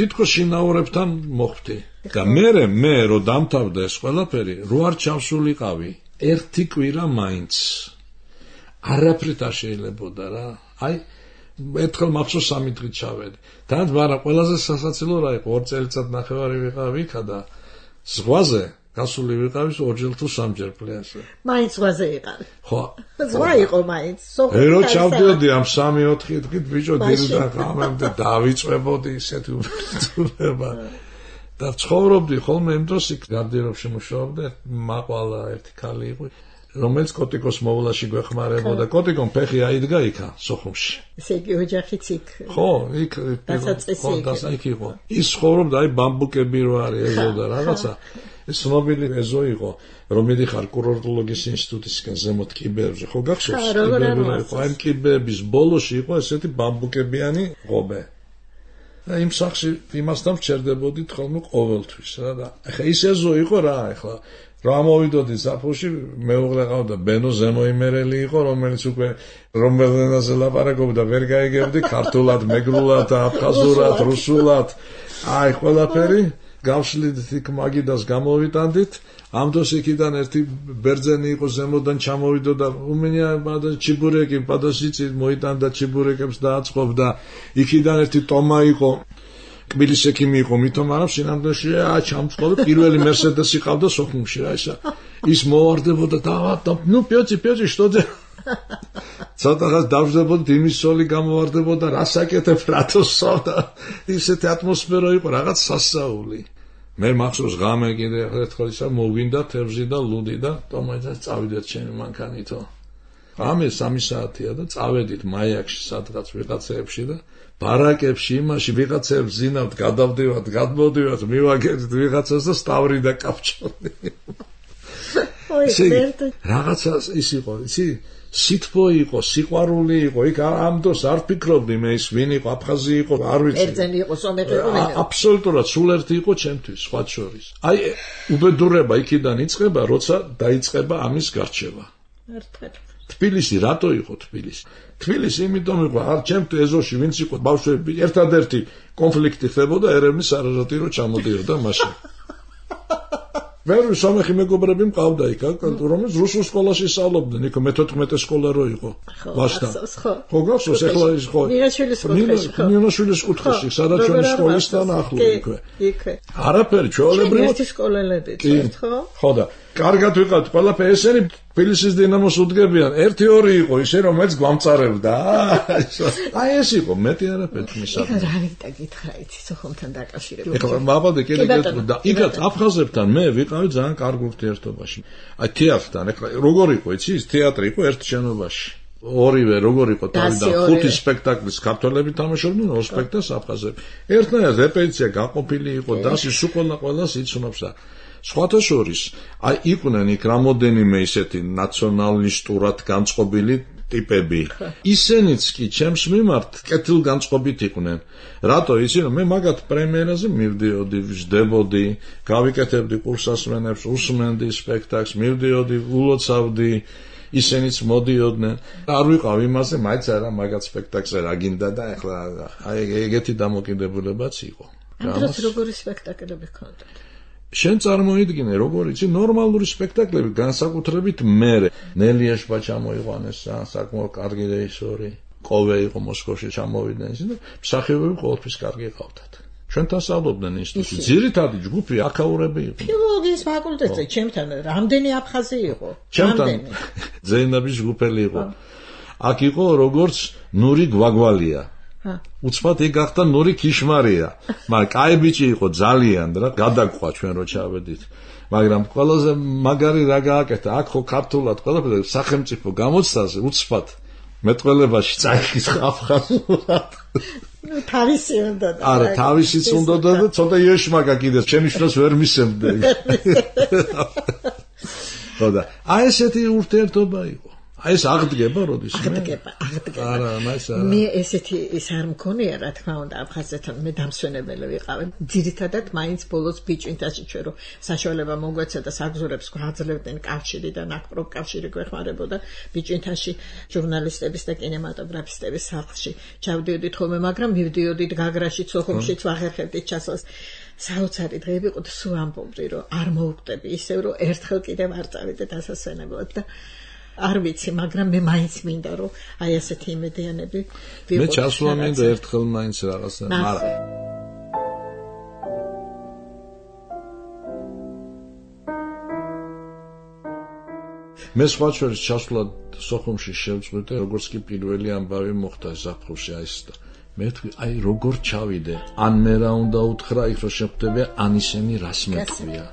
თითქოს შინაურებთან მოხვდი და მე რო დამთავრდა ეს ყველაფერი რო არ ჩავსულიყავი ერთი კვირა მაინც არაფრით არ შეიძლებოდა რა აი ერთხელ მახსოვს 3 დღით ჩავედი და მაგრამ ყველაზე სასაცილო რა იყო 2 წელიწად ნახევარი ვიყავი იქა და ზღვაზე გასული ვიყავი 2 თუ 3 პლაჟზე მაინც ზღვაზე იყავი ხო ზღვა იყო მაინც ერო ჩავდიოდი ამ 3-4 დღით ბიჭო დილიდან ღამემდე დავიწვებოდი ისეთი უბრძოლება და ცხოვრობდი ხოლმე იმ დროს იქ გარდიერებში მუშაობდა მაყვალა ერთი ქალი იყო რომელიც კოტიკოს მოვლაში გვეხმარებოდა კოტიკომ ფეხი აიდგა იქა სოხუმში ესე იგი ოჯახიც იქ ხო იქ იქ იყო ის ცხოვრობდა აი ბამბუკები რო არის ეზო და რაღაცა ეს ცნობილი ეზო იყო რომ მიდიხარ კურორტოლოგიის ინსტიტუტისგან ზემოთ კიბერზე ხო გახსოვს აი კიბების ბოლოში იყო ესეთი ბამბუკებიანი ღობე და იმ სახში იმასთან ვჩერდებოდით ხოლმე ყოველთვის რა და ახლა ის ეზო იყო რა ახლა რა მოვიდოდი საფოში მეუღლე ყავდა ბენო ზემოიმერელი იყო რომელიც უკვე რომელენაზე ლაპარაკობდა ვერ გაიგებდი ქართულად მეგრულად აფხაზურად რუსულად აი ყველაფერი გავშლიდით იქ მაგიდას გამოვიტანდით ამ დროს იქიდან ერთი ბერძენი იყო ზემოდან ჩამოვიდოდა უმენია ბადა ჩიბურეკი პადოსიცი მოიტანდა ჩიბურეკებს დააწყობდა იქიდან ერთი ტომა იყო კბილის ექიმი იყო მithom არა სინამდვილეში ჩამწყობი პირველი მერსედესი ყავდა სოხუმში რა ისა ის მოვარდებოდა და ნუ პიოჩი что делать ცოტაღაც დავждებოდი იმის სოლი გამოვარდებოდა რასაკეთებ რატოსო და ისეთი ატმოსფერო იყო რაღაც სასაული მე მახსოვს ღამე კიდე ერთხელ ისა მოვინდა თევზი და ლუდი და ტომაიძას წავიდეთ ჩემი მანქანითო ღამე 3 საათია და წავედით მაიაკში სადღაც ვიღაცეებში და ბარაკებში იმაში ვიღაცებს ზინავთ გადავდივართ გადმოდივართ მივაგებთ ვიღაცას და სტავრი და კაფჭონი რაღაცა ის იყო იცი სითბო იყო სიყვარული იყო იქ ამ დროს არ ფიქრობდი მე ის ვინ იყო აფხაზი იყო არ ვიცი ერთზენი იყო სომეხი იყო აბსოლუტურად სულ ერთი იყო ჩემთვის სხვა შორის აი უბედურება იქიდან იწყება როცა დაიწყება ამის გარჩევა ერთად თბილისი რატო იყო თბილისი იმიტომ იყო არ ჩემთვის ეზოში ვინც იყო ბავშვები ერთადერთი კონფლიქტი ხდებოდა ერევნის არაზატირო ჩამოდიოდა მაშინ ვერი სომეხი მეგობრები მყავდა იქ რომელიც რუსულ სკოლაში სწავლობდნენ იქ მე-14 სკოლა რო იყო ვაშტა ხო გახსოვს ახლა ის ხო ნინაშვილის კუთხეში სადაც ჩვენი სკოლისთან ახლო იქვე არაფერი ჩვეულებრივად ერთი სკოლელები ხო და კარგად ვიყავთ ყველაფერი ესენი თბილისის დინამოს უდგებიან 1-2 იყო ისე რომელიც გვამწარებდა აი ეს იყო მეტი არაფერი მისაღები რა ვიტა გითხრა იცი სოხუმთან დაკავშირებით ეხლა მაბადე კიდე და იქაც აფხაზებთან მე ვიყავი ძალიან კარგ ურთიერთობაში აი თეატრთან ეხლა როგორ იყო იცი ის თეატრი იყო ერთ შენობაში ორივე როგორ იყო თავიდან 5 სპექტაკლის ქართველები თამაშობდნენ 2 სპექტაკლს აფხაზები ერთნაირად რეპეტიცია გაყოფილი იყო დასი სულ ყველას იცნობს და სხვათა შორის აი იყვნენ იქ რამოდენიმე ისეთი ნაციონალისტურად განწყობილი ტიპები ისენიც კი ჩემს მიმართ კეთილგანწყობით იყვნენ რატო იცი რომ მე მაგათ პრემიერაზე მივდიოდი ვждებოდი გავიკეთებდი კურსასმენებს უსმენდი სპექტაკლს მივდიოდი ულოცავდი ისინიც მოდიოდნენ. არ ვიყავ იმაზე, მაინც არა მაგათ სპექტაკლზე რა გინდა და ეხლა აი ეგეთი დამოკიდებულებაც იყო. ამ დროს როგორი სპექტაკლები ჰქონდათ? შენ წარმოიდგინე, როგორ იცი, ნორმალური სპექტაკლები, განსაკუთრებით მერე. ნელიაშბა ჩამოიყვანეს, საკმაოდ კარგი რეჟისორი. ყოვე იყო მოსკოვში ჩამოვიდნენ ისინი და მსახიობები ყოველთვის კარგი ყავდათ. ჩვენთან სწავლობდნენ ინსტიტუტში. ძირითადი ჯგუფი აქაურები იყო. ფილოლოგიის ფაკულტეტზე ჩემთან რამდენი აფხაზი იყო? ჩემთან ზეინაბის ჯგუფელი იყო. აქ იყო როგორც ნური გვაგვალია. უცბად ეგ გახდა ნური ქიშმარია. მაგრამ კაი ბიჭი იყო ძალიან და გადაგყვა ჩვენ რო ჩავედით. მაგრამ ყველაზე მაგარი რა გააკეთა, აქ ხო ქართულად ყველაფერი სახელმწიფო გამოცდაზე უცბად მეტყველებაში წაიხის აფხაზურად. ნუ თავისი უნდა და არა, თავისიც უნდა და ცოტა იეშმაკა კიდეს, ჩემი შვილს ვერ მისემდე. ხო და აი ესეთი ურთიერთობა იყო. აი ეს აღდგება როდის აღდგება. არა, მას არა. მე ესეთი ის არ მქონია, რა თქმა უნდა, აფხაზეთთან მე დამსვენებელი ვიყავი. ძირითადად მაინც ბოლოს ბიჭვინთაში ჩვენ რო საშუალება მოგვეცა და საგზურებს გვაძლევდნენ კავშირი და ნაკრობ კავშირი გვეხმარებოდა ბიჭვინთაში ჟურნალისტების და კინემატოგრაფისტების სახლში. ჩავდიოდით ხოლმე, მაგრამ მივდიოდით გაგრაში, სოხუმშიც ვახერხებდით ჩასვლას. საოცარი დღეები იყო და სულ ამბობდი, რომ არ მოვკვდები ისევ, რომ ერთხელ კიდევ არ წავიდეთ ასასვენებლად და არ ვიცი, მაგრამ მე მაინც მინდა რომ აი ასეთი იმედიანები ვიყო. მე ჩასვლა მინდა ერთხელ მაინც რაღაცა, მაგრამ მე სხვა შორის ჩასვლა სოხუმში შევწყვიტე, როგორც კი პირველი ამბავი მოხდა ზაფხულში აი ეს და მე თქვი, აი როგორ ჩავიდე, ან მე რა უნდა უთხრა, იქ რო შეხვდები, ან ისინი რას მეტყვია.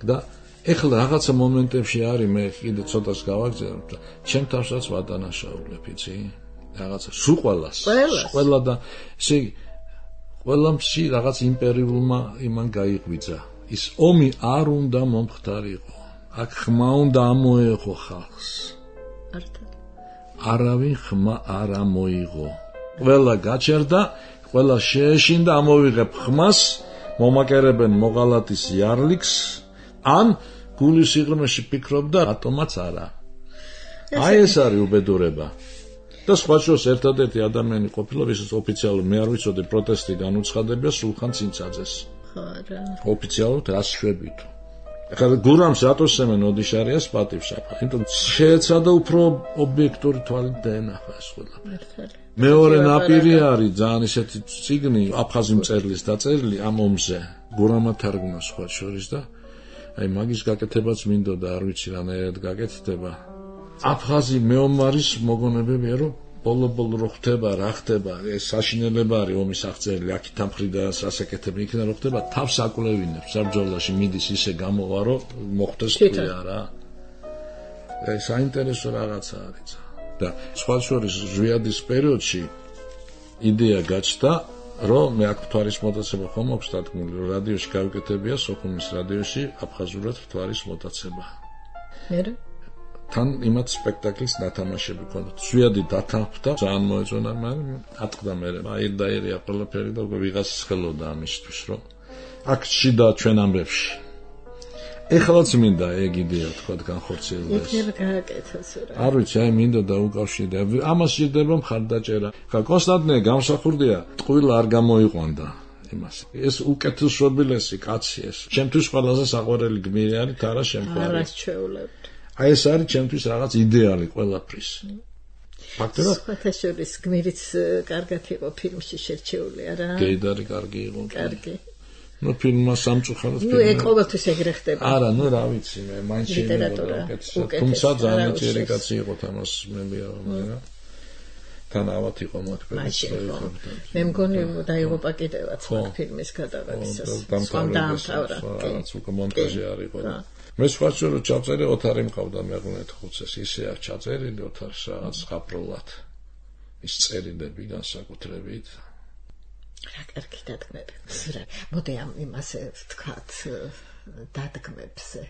და ეხლა რაღაცა მომენტებში არის მე კიდე ცოტას გავაგზავნე და ჩემ თავსაც ვადანაშაულებ, იცი? რაღაცა სულ ყველა და ესე ყველამში რაღაც იმპერიულმა იმან გაიღვიძა. ის ომი არ უნდა მომხდარიყო. აქ ხმა უნდა ამოეღო ხალხს. არავინ ხმა არ ამოიღო. ყველა გაჩერდა, ყველა შეეშინდა, ამოვიღებ ხმას, მომაკერებენ მოღალატის იარლიქს, ან გულის სიღრმეში ფიქრობდა რატომაც არა. აი ეს არის უბედურება. და სხვა შორის ერთადერთი ადამიანი ყოფილა, ვისაც ოფიციალურად მე არ ვიცოდი პროტესტი განუცხადებია სულხან ცინცაძეს. ხარა. ოფიციალურად რას შვებით. ახლა გურამს რატოსემენ ოდიშარიას პატივშაფა. იმიტომ შეეცადა უფრო ობიექტური თვალით დაენახა ეს ყველაფერი. მეორე ნაპირი არის ძალიან ისეთი წიგნი აფხაზი მწერლის დაწერილი ამ ომზე. გურამა თარგმნა სხვა შორის და აი მაგის გაკეთებაც მინდოდა, არ ვიცი რანაირად გაკეთდება. აფხაზი მეომარის მოგონებებია, რომ ბოლო-ბოლო რო ხდება, რა ხდება, ეს საშინელება არის ომის აღწერილი, აქეთ ამხრიდა სასაკეთები იქნება, რო ხდება, თავს აკვლევინებს, საბრძოლაში მიდის ისე გამოვა, რომ მოხდეს თქვია რა. ეს საინტერესო რაღაცა არის. და სხვა შორის ზვიადის პერიოდში იდეა გაჩნდა, რომ მე აქ მთვარის მოტაცება ხომ აქვს დადგმული, რომ რადიოში გავიკეთებია სოხუმის რადიოში აფხაზურად მთვარის მოტაცება. მერე თან იმათ სპექტაკლის ნათამაშები ქონდათ. ზვიადი დათანხმდა, ძალიან მოეწონა, მაგრამ ატყდა მე. აირდაირია ყველაფერი და ვიღაც ხელოდა ამისთვის, რომ აქ შიდა ჩვენ ამბებში. ეხლაც მინდა ეგ იდეა თქვა განხორციელდეს. იქნება გააკეთოს რა. არ ვიცი, აი მინდა დაუკავშირდე. ამას შეიძლება მხარდაჭერა. ხა კონსტანტინე გამსახურდია, ტყუილა არ გამოიყვანდა იმას. ეს უკეთესობილესი კაცი ეს. ჩემთვის ყველაზე საყვარელი გმირი არის თარა შემყარი. არას ჩვეულებთ. აი ეს არის ჩემთვის რაღაც იდეალი ყველაფრის. ფაქტობრივად სხვათა შორის გმირიც კარგად იყო ფილმში შერჩეული, არა? გეიდარი კარგი იყო. კარგი. ნუ ფილმმა სამწუხაროდ ნუ ეგ ყოველთვის ეგრე ხდება. არა, ნუ რა ვიცი მე, მაინც შეიძლება უკეთესად. თუმცა ძალიან ძლიერი კაცი იყო თამას მემია, მაგრამ თან ავად იყო მოთქველი. მე მგონი დაიღუპა კიდევაც მაგ ფილმის გადაღებისას. დამთავრდა. რაც უკვე მონტაჟი არის ყველა. მე სხვა შორის ჩაწერე ოთარი მყავდა მეღუნეთ ხუცეს, ისე არ ჩაწერილი ოთარს რაღაც ხაპრულად. ის წერილები განსაკუთრებით. რა კარგი დადგმები. მოდი ამ იმაზე ვთქვათ დადგმებზე.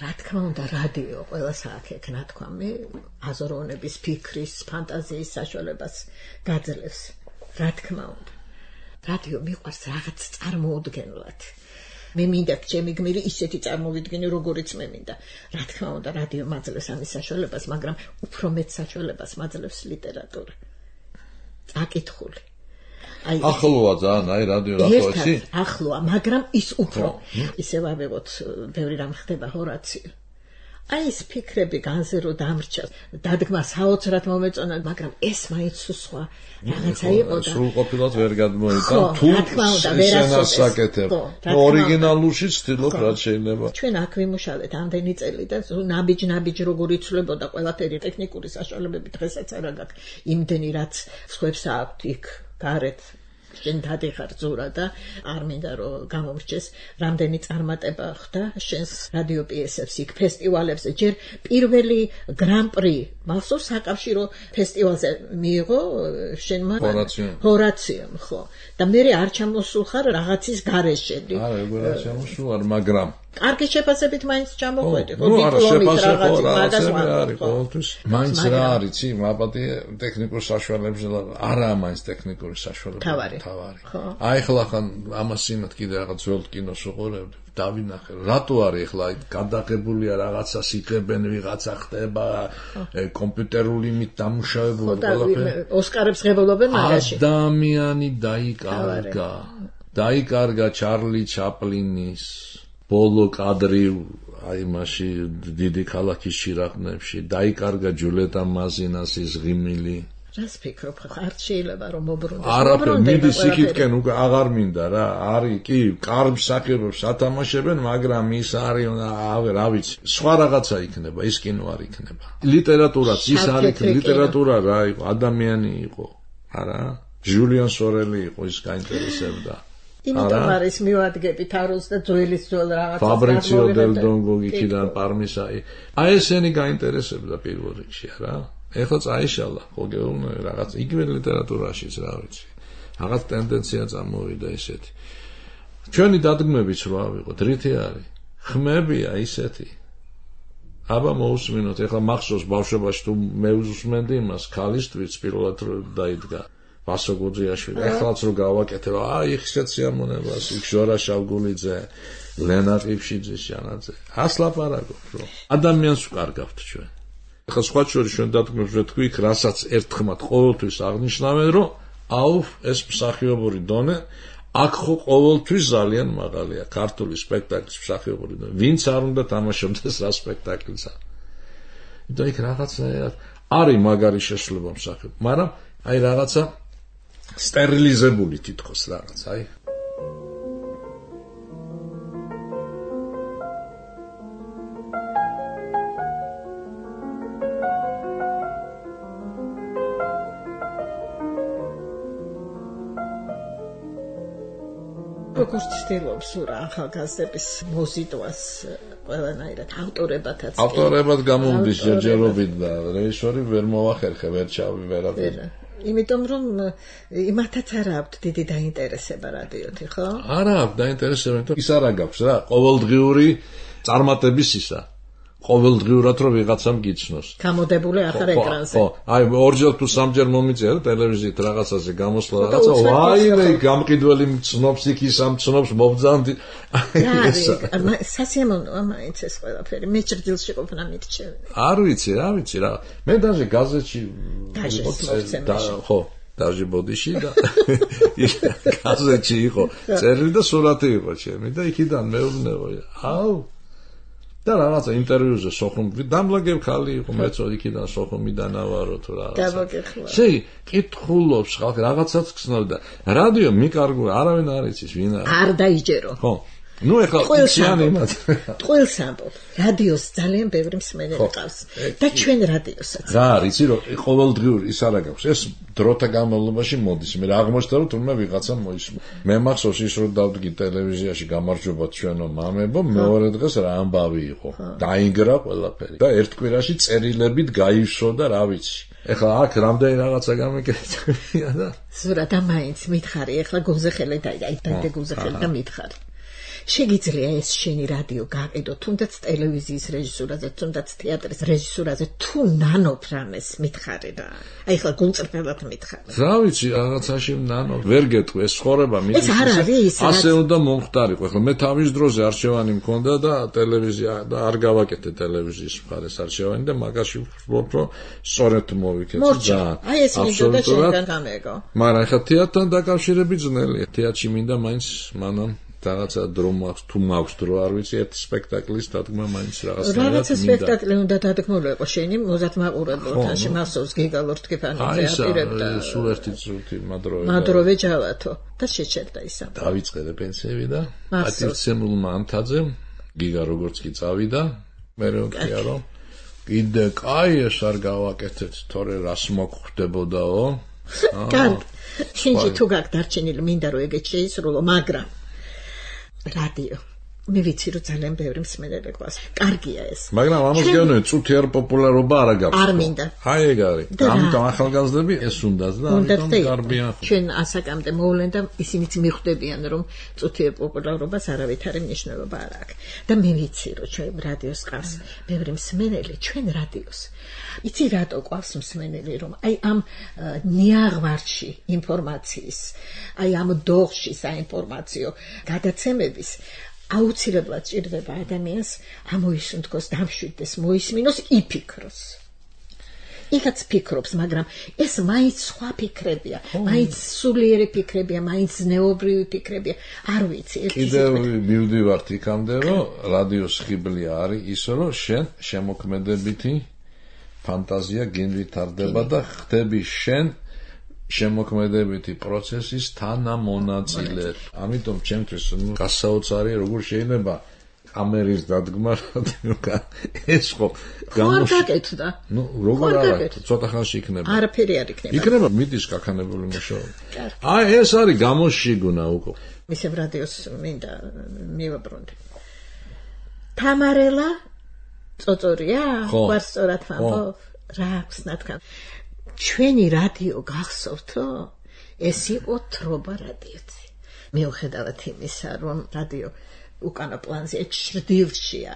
რა თქმა უნდა, რადიო ყველას აქ ნათქვამი აზროვნების, ფიქრის, ფანტაზიის საშუალებას გაძლევს. რა თქმა უნდა. რადიო მიყვარს რაღაც წარმოუდგენლად. მე მინდა ჩემი გმირი ისეთი წარმოვიდგინე, როგორიც მე მინდა. რა თქმა უნდა, რადიო მაძლევს ამის საშუალებას, მაგრამ უფრო მეტ საშუალებას მაძლევს ლიტერატურა. აკითხული. ახლოა ძალიან, რადიო ნახო იცი? ახლოა, მაგრამ ის უფრო ისე ვავიღოთ, ბევრი რამ ხდება ჰორაციო. ეს ფიქრები განზე რო დამრჩა, დადგმა საოცრად მომეწონა, მაგრამ ეს მაინც სხვა რაღაცა იყო და სრულყოფილად ვერ გადმოიტან თუ სცენას საკეთებ. ორიგინალურში ცდილობ რაც შეიძლება. ჩვენ აქ ვიმუშავეთ ამდენი წელი და ნაბიჯ როგორ იცვლებოდა ყველაფერი ტექნიკური საშუალებები დღესაც არ აქვს იმდენი რაც სხვებს აქვთ იქ გარეთ შენ დადიხარ ზურა და არ მინდა რომ გამომრჩეს რამდენი წარმატება ხდა შენს რადიო პიესებს იქ ფესტივალებზე ჯერ პირველი გრან-პრი მახსოვს საკავშირო ფესტივალზე მიიღო შენმა ჰორაციომ ხო და მე არ ჩამოსულხარ რაღაცის გარეშე არა ეგ არ ჩამოსულ მაგრამ კარგი შეფასებით მაინც ჩამოხვედი ხო დიპლომით რაღაცა არის ყოველთვის მაინც რა არის იცი მაპატია ტექნიკურ საშუალებებზე არა მაინც ტექნიკური საშუალებები თავარი აი ახლა ხან ამას იმათ კიდე რაღაც ძველ კინოს უყურებდი დავინახე რატო არის ახლა გადაღებულია რაღაცა სიკებენ ვიღაცა ხდება კომპიუტერული იმით დამუშავებული ყველაფერი ოსკარებს ღებულობენ მაგაში ადამიანი დაიკარგა ჩარლი ჩაპლინის ბოლო კადრი აი მასში დიდი ქალაქის შირაყნებში დაიკარგა ჯულეტა მაზინასის ღიმილი რას ფიქრობ არ შეიძლება რომ მობრუნდეს არაფერი მიდის იქითკენ უკვე აღარ მინდა რა არის კი კარგ მსახიობებს ათამაშებენ მაგრამ ის არის რა ვიცი სხვა რაღაცა იქნება ის კინო არ იქნება ლიტერატურაც ის არის ლიტერატურა რა იყო ადამიანი იყო არა ჟულიან სორელი იყო ის გაინტერესებდა იმიტომ არის მივადგები თაროს და ძველის ძველ რაღაცას ფაბრიციო დელ დონგო იქიდან პარმისაი აი ესენი გაინტერესებდა პირველ რიგში რა ეხლა წაიშალა ხოლმე რაღაც იგივე ლიტერატურაშიც რა ვიცი რაღაც ტენდენცია წამოვიდა ისეთი ჩვენი დადგმებიც რა ავიღოთ რითი არის ხმებია ისეთი აბა მოусმინოთ ეხლა მახსოვს ბავშვობაში თუ მე უსმენდი იმას ქალისთვის პირველად დაიდგა ვასო გუძიაშვილი ეხლაც რო გავაკეთებ აი ხშეთ სიამონებას იქ ჟორა შავგულიძე ლენა ყიფშიძის ჟანაძე ასლაპარაკობ რომ ადამიანს ვკარგავთ ჩვენ ახლა სხვა შორის ჩვენ დადგმებს ვეთქვი იქ რასაც ერთხმად ყოველთვის აღნიშნავენ რომ აუφ ეს მსახიობური დონე აქ ხო ყოველთვის ძალიან მაღალია ქართული სპექტაკლის მსახიობური დონე ვინც არ უნდა თამაშობდეს რა სპექტაკლსა და იქ რაღაცნაირად არის მაგარი შესრულება მსახიობ მაგრამ აი რაღაცა სტერილიზებული თითქოს რაღაც აი როგორც ცდილობს რა ახალგაზრდების მოზიდვას ყველანაირად ავტორებად გამომდის ჯერჯერობით და რეჟისორი ვერ მოახერხე ვერ ჩავი ვერაფერ იმიტომ რომ იმათაც არ აქვს დიდი დაინტერესება რადიოთი ხო? არა აქვს დაინტერესება იმიტომ ის არ აგაქვს რა ყოველდღიური წარმატების ისა ყოველდღიურად რომ ვიღაცამ გიცნოს გამოდებული ახარ ეკრანზე ხო აი ორჯერ თუ სამჯერ მომიწია ტელევიზიით რაღაცაზე გამოსვლა რაღაცა ვაიმე გამყიდველი ცნობს იქ ის ამ ცნობს მობძანდი სასიამოვნოა მაინც ეს ყველაფერი მე ჭრდილში ყოფნა მირჩევი არ ვიცი რა მე даже გაზეთში ხო даже ბოდიში და გაზეთში იყო წერილი და სურათი იყო ჩემი და იქიდან მეუბნებოდი აუ და რაღაცა ინტერვიუზე სოხუმი დამლაგებ ხალი იყო მეცო იქიდან სოხუმიდან ავარო თუ რაღაცა შეი კითხულობს ხალხი რაღაცაც გცნობდა რადიო მიკარგო არავინ არ იცის ვინ არის არ დაიჯერო ხო ნუ ეხლა იციან იმათ ყველს ამბობ რადიოს ძალიან ბევრი მსმენელი ყავს და ჩვენ რადიოსაც რა არის იცი რომ ყოველდღიური ის არა გაქვს ეს დროთა განმავლობაში მოდის მე აღმოჩნდა რომ თურმე ვიღაცა მოისმა მე მახსოვს ის რომ დავდგი ტელევიზიაში გამარჯობა ჩვენო მამებო მეორე დღეს რა ამბავი იყო დაინგრა ყველაფერი და ერთ კვირაში წერილებით გაივსო და რა ვიცი ეხლა აქ რამდენი რაღაცა გამეკეთებია და ზურა და მაინც მითხარი ეხლა გულზე ხელი დაიდე გულზე ხელი და მითხარი შეგიძლია ეს შენი რადიო გაყიდო, თუნდაც ტელევიზიის რეჟისურაზე, თუნდაც თეატრის რეჟისურაზე, თუ ნანობ რამეს მითხარი რა. აი ხლა გულწრფელად მითხარი. რა ვიცი, რაღაცაში ნანობ, ვერ გეტყვი, ეს ცხოვრება მის ასე უნდა მომხდარიყო. ხლა მე თავის დროზე არჩევანი მქონდა და ტელევიზია და არ გავაკეთე ტელევიზიის მხარეს არჩევანი და მაგაში ვფიქრობ, რომ სწორედ მოვიქეცი ძალიან. აი ეს მინდოდა შენგან გამეგო. მაგრამ ხა თეატრთან დაკავშირებით ძნელია. თეატრში მინდა მაინც მანამ რაღაცა დრო მაქვს, თუ მაქვს დრო, არ ვიცი, ერთ სპექტაკლის დადგმა მაინც რაღაცნაირად. რაღაცა სპექტაკლი უნდა დადგმულიყო შენი მოზად მაყურებელთან, მასოვს გიგალურ თქიფანებზე აპირებდა. აი, სულ ერთი წუთი მადროვე ჯალათო და შეჩერდა ისა. დავიწყე პენსიები და პატივცემულმა ანთაძემ გიგა როგორც კი წავიდა, მე ვქია რომ კიდე კაი ეს არ გავაკეთეთ, თორე რას მოგხვდებოდაო. კარგი. შენში თუ გაქვს დარჩენილი მინდა რომ ეგეც შეისრულო, მაგრამ რადიო მე ვიცი რომ ძალიან ბევრი მსმენელი გვაქვს. კარგია ეს. მაგრამ ამას გეუბნები, წუთი არ პოპულარობა არ აქვს. არ მინდა. აი ეგ არის. ამიტომ ახალგაზრდები ეს უნდათ და ამიტომ გარბიან. ჩვენ ასაკამდე მოვლენ და ისინიც მიხვდებიან რომ წუთი პოპულარობას არავითარი მნიშვნელობა არ აქვს. და მე ვიცი რომ ჩვენ რადიოს ყავს ბევრი მსმენელი, ჩვენ რადიოს. იცი რატო ყავს მსმენელი რომ აი ამ ნიაღვარში ინფორმაციის, აი ამ დოღში საინფორმაციო გადაცემების აუცილებლად ჭირდება ადამიანს ამოისუნთქოს, დამშვიდდეს, მოისმინოს, იფიქროს. იქაც ფიქრობს, მაგრამ ეს მაინც სხვა ფიქრებია, მაინც სულიერი ფიქრებია, მაინც ზნეობრივი ფიქრებია, არ ვიცი. კიდევ მივდივართ იქამდე, რომ რადიოს ხიბლი არის ის, რომ შენ შემოქმედებითი ფანტაზია გინვითარდება და ხდები შენ შემოქმედებითი პროცესის თანამონაწილე. ამიტომ ჩემთვის გასაოცარი როგორ შეიძლება კამერის დადგმა ეს ხო გამოგაკეთდა. ნუ როგორ არა, ცოტა ხანში იქნება. არაფერი არ იქნება. იქნება მიდის კაკანებული მუშაობა. აი ეს არის გამოშიგუნა უკვე. მისებ რადიოს მინდა მივაბრუნდი. თამარელა წოწორია? გვარს სწორად ვამბობ? რა აქვს ნათქვა? ჩვენი რადიო გახსოვთო? ეს იყო თრობა რადიოთი. მიუხედავად იმისა, რომ რადიო უკანა პლანზე ჩრდილშია,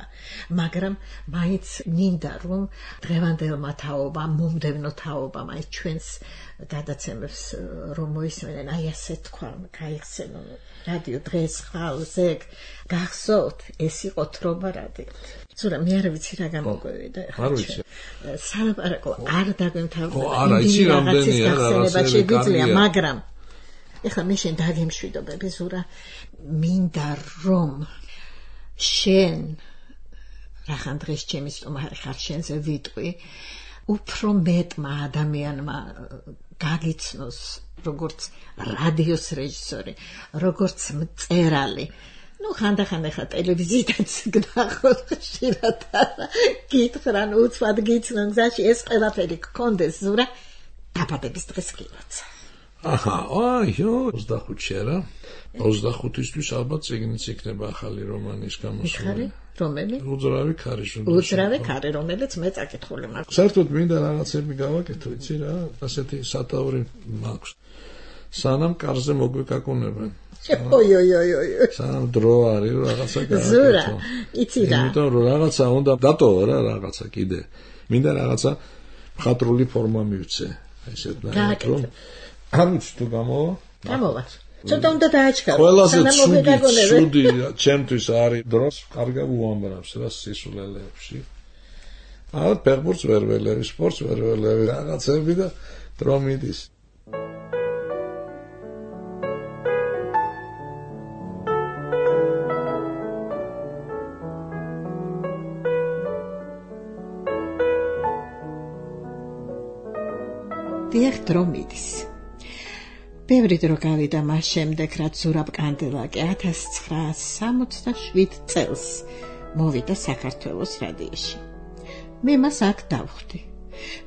მაგრამ მაინც მინდა რომ დღევანდელმა თაობამ, მომდევნო თაობამ აი ჩვენს გადაცემებს რომ მოისმენენ, აი ასე თქვა, გაიხსენო რადიო დღეს ხალხს ეგ გახსოვთ, ეს იყო თრობა რადიოთი. ზურა მე არ ვიცი რა გამოგვევიდა ახლა. არ ვიცი. სალაპარაკო არ დაგვემთავრდა. არა, იცი რამდენია რაღაცა შეგვიძლია, მაგრამ ეხლა მე შენ დაგემშვიდობები ზურა, მინდა რომ შენ რახან დღეს ჩემი სტომარი ხარ შენზე ვიტყვი, უფრო მეტმა ადამიანმა გაგიცნოს როგორც რადიოს რეჟისორი, როგორც მწერალი. ნუ ხანდახან ახლა ტელევიზიითაც გნახოთ ხშირად გითხრან უცბად გიცნონ გზაში ეს ყველაფერი გქონდეს ზურა დაბადების დღეს გილოცა. აჰა, აიო, 25-ში რა. 25-ისთვის ალბათ წიგნიც იქნება ახალი რომანის გამოსვლა. რომელი? უძრავი ქარიშვილი. უძრავი ქარი, რომელიც მე წაკითხული მაქვს. საერთოდ მინდა რაღაცები გავაკეთო, იცი რა, ასეთი სათაური მაქვს. სანამ კარზე მოგვეკაკუნებენ. ой-ой-ой-ой. სანამ დრო არის რაღაცა გავაკეთო. ზურა, იცი რა. იმიტომ რომ რაღაცა უნდა დატოვა რა რაღაცა კიდე. მინდა რაღაცა მხატვრული ფორმა მივცე. აი ესეთ რომ ამით თუ გამოვა? გამოვა. ცოტა უნდა დააჩქარო. ყველაზე ცუდი ჩემთვის არის დროს კარგა უამბრავს რა სისულელეებში. აა ფეხბურთს ვერ ველევი, სპორტს ვერ ველევი, რაღაცები და დრო მიდის. დიახ, დრო მიდის. ბევრი დრო გავიდა მას შემდეგ, რაც ზურაბ კანდელაკი 1967 წელს მოვიდა საქართველოს რადიოში. მე მას აქ დავხვდი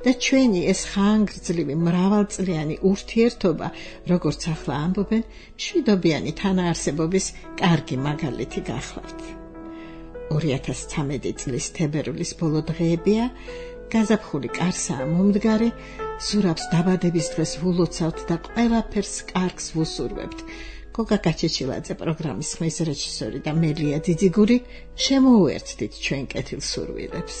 და ჩვენი ეს ხანგრძლივი მრავალწლიანი ურთიერთობა, როგორც ახლა ამბობენ, მშვიდობიანი თანაარსებობის კარგი მაგალითი გახლავთ. 2013 წლის თებერვლის ბოლო დღეებია, გაზაფხული კარსაა მომდგარი, ზურაბს დაბადების დღეს ვულოცავთ და ყველაფერს კარგს ვუსურვებთ. გოგა გაჩეჩილაძე პროგრამის ხმის რეჟისორი და მე ლია დიდიგური შემოუერთდით ჩვენ კეთილსურვილებს.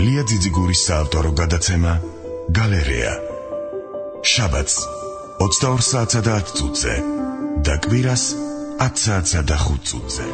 ლია ძიძიგურის საავტორო გადაცემა გალერეა. შაბათს 22 საათსა და 10 წუთზე და კვირას 10 საათსა და 5 წუთზე.